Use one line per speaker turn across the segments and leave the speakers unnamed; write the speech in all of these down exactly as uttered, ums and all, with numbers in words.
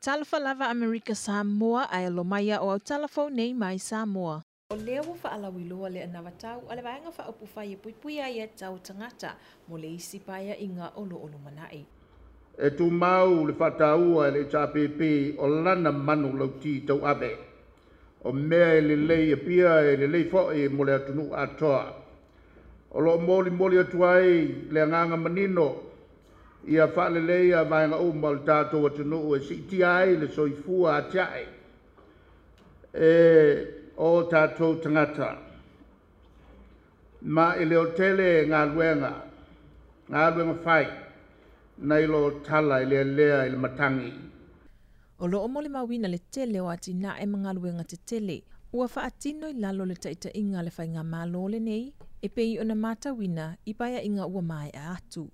Talofa lava Amerika Samoa ae alo mai o au tala fou nei mai Samoa. O lea ua faalauiloa le anavatau a le Vaega Faaupufai e Puipuia Aiatatau Tagata mo le isi paeaiga o lo o lumanai.
E tumau le faataua e le H R P P o lana manu lauti tauave. O mea e lelei e pia e lelei fo'i mo le atunuu atoa. O loo molimoli atu ai le agaga manino ia faaleleia vaega uma o le tatou atunuu e siitia ai le soifua atiae e o tatou tagata. Ma e le o tele galuega, galuega fai, nai lo tala i lealea i le matagi.
O loo molimauina le tele o atinae ma galuega tetele ua faatino i lalo le taitaiga le faigamalo lenei e pei ona matauina i paeaiga ua maea atu.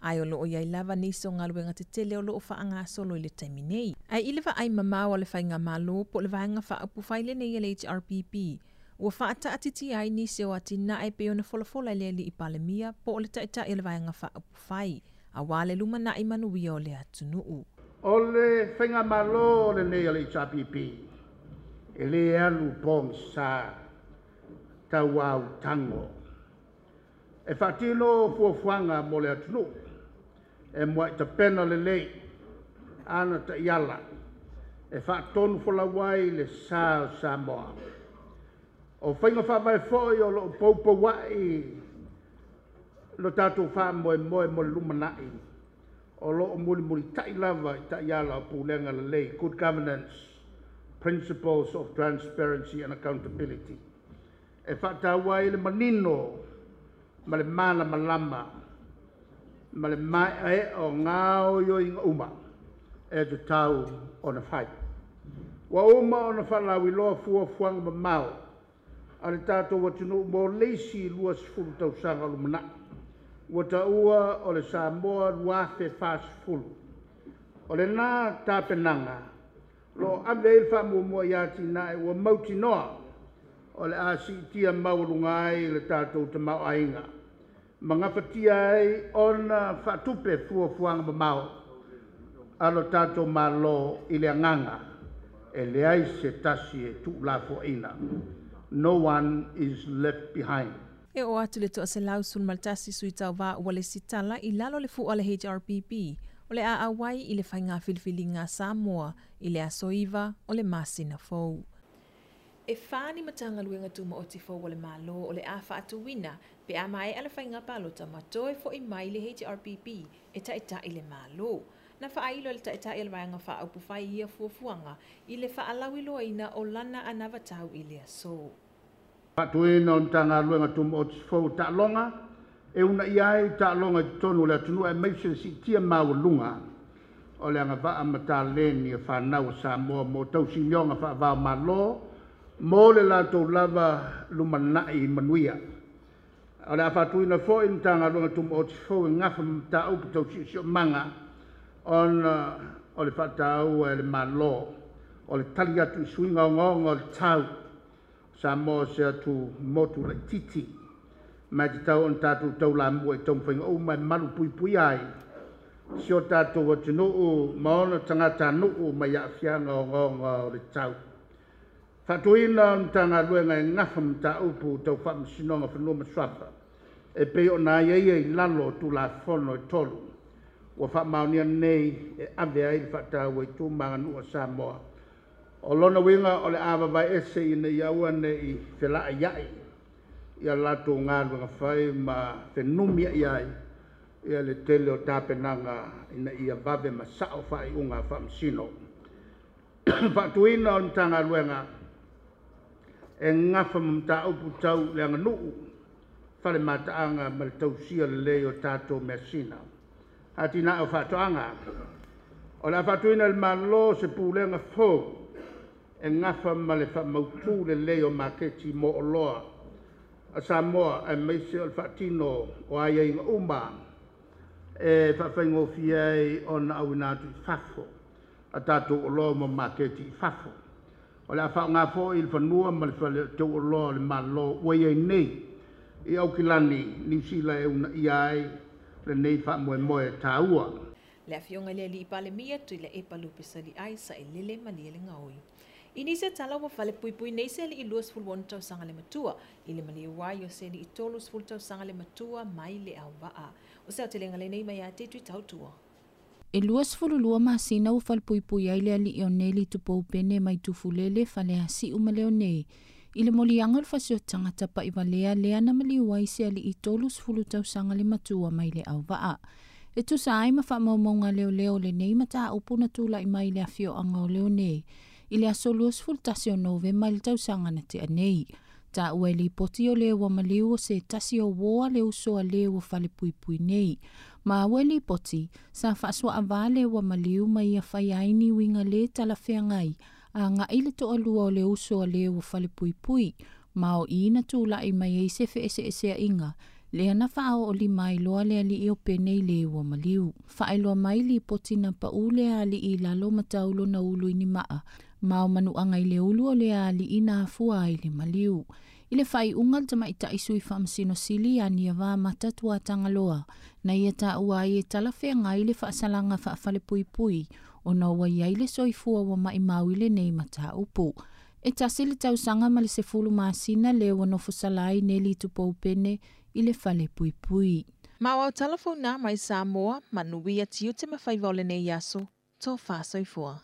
Ae o loo iai lava nisi o galuega tetele o loo faagasolo i le taimi nei. Ae i le vaai mamao a le faigamalo po o le Vaega Faaupufai lenei a le H R P P, ua faataatiti ai nisi o atinae pei ona folafola e le alii Palemia po o le taitai o le Vaega Faaupufai, auā le lumanai manuia o le atunuu.
O le faigamalo lenei a le H R P P e lē alu pogisa tauau tago. E faatino fuafuaga mo le atunuu e muai tapena lelei ana taiala e faatonu folau ai le sa o Samoa. O faiga faavae foi o loo poupoua'i lo tatou faamoemoe mo le lumanai o loo mulimulita'i lava i taiala o pulega lelei, good governance, principles of transparency and accountability, e faataua ai le manino ma le malamalama ma le maeaea o gaoioiga uma e tatau ona fai. Ua uma ona faalauiloa fuafuaga mamao a le tatou atunuu mo le isi luasefulu tausaga o lumanai ua taua o le Samoa lua afe fasefulu. O lena tapenaga loo ave ai le faamuamua ia atinae ua mautinoa o le a siitia maualuga ai le tatou tamaoaiga ma gafatia ai ona faatupe fuafuaga mamao a lo tatou Malo i le agaga e leai se tasi e tuulafoaina. No one is left behind.
E oo atu le toaselau sefulumatasi sui tauvā ua lesitala i lalo le fua le H R P P o le a auai i le faiga filifiliga a Samoa i le aso iva o le masina fou. E fa ni Matagaluega Tumaoti fou o le Malo o le a faatuina pe a maea le faiga palota ma toe fo'i mai le H R P P e taitai le Malo. Na faailo le taitai o le Vaega Faaupufai ia fuafuaga i le faalauiloaina o lana anavatau i le aso.
Faatuina o Matagaluega Tumaoti fou taaloga e uunaia ai taaloga i totonu o le atunuu aemaise le siitia maualuga o le agavaa ma taleni a fanau a Samoa mo tausinioga faava-o-Malo mo le latou lava lumanai manuia. O le a faatuina foi le Matagaluega Tumaoti fou e gafa ma mataupu tau siosiomaga ona o le faataua e le Malo o le tali atu i suiga ogaoga o le tau. Samoa se atu motu laititi ma e tatau ona tatou taulamua i taumafaiga uma e malu puipuia ai si o tatou atunuu ma ona tagatanuu mai aafiaga ogaoga o le tau. Faatuina o le Matagaluega e gafa ma mataupu tau faamasinoga fanua ma suafa e pei ona aiaia i lalo o Tulafono e tolu ua faamaonia nei e ave ai le faataua i tu ma aganuu a Samoa. O lona uiga o le a vavae ese ina ia aua nei felaaiai ia latou galuega fai ma fenumiai ai ia le tele o tapenaga ina ia vave ma sao faaiuga faamasino. Faatuina o le Matagaluega e gafa ma mataupu tau le aganuu, fale mataaga ma le tausia lelei o tatou measina. Atinae o faatoaga. O le a faatuina le Malo se pulega fou e gafa ma le faamautū lelei o maketi mo oloa a Samoa aemaise o le faatino o aiaiga uma e faafaigofie ai ona auina atu i fafo a tatou oloa ma maketi i fafo. O le a faaaoga foi le fanua ma le fale tauoloa o le Malo ua iai nei i Aukilani, Niu Sila e uunaia ai lenei faamoemoe taua.
Le afioga i le alii Palemia Tuilaepa Lupesali'ai Sailele Malielegaoi. I nisi o tala ua falepuipui nei se alii luasefulu ono tausaga le matua i le maliu ai o se alii tolusefulu tausaga le matua mai Leauvaa. O se aotelega lenei mai ia te Tuitautua.
E luasefulu lua masina ua falepuipui ai le alii o Neli Tupou Pene mai Tufulele Faleasiu ma Leonei. I le moliaga o le fasioti tapa'ivalea lea na maliu ai se alii tolusefulu tausaga le matua mai Leauvaa. E tusa ai ma faamaumauga leoleo lenei mataupu na tula'i mai le afioaga o Leonei i le aso luasefulu tasi o Novema i le tausaga na tea nei. Taua i lipoti o le ua maliu o se tasi o uō a le uso a le ua falepuipui nei. Ma ua lipoti sa faasuaavā le ua maliu ma ia fai ai ni uiga lē talafeagai aga'i le toalua o le uso a le ua falepuipui ma o i na tula'i mai ai se feʻeseʻeseaʻiga lea na faaoolima ai loa le alii o Pene i le ua maliu. Faailoa mai lipoti na paʻu le alii i lalo ma taulo na ulu i ni maa ma o manuaga i le ulu o le alii na afua ai le maliu. I le faaiuga le tamaita'i sui faamasino sili ia Niava Mata Tuatagaloa na ia taua ai e talafeagai le faasalaga faafalepuipui ona ua iai le soifua ua maʻimau i lenei mataupu. E tasi le tausaga ma le sefulu masina le ua nofosala ai Neli Tupou Pene i le falepuipui.
Ma o au tala founa mai Samoa, manuia tiute ma faiva o lenei aso, tofa soifua.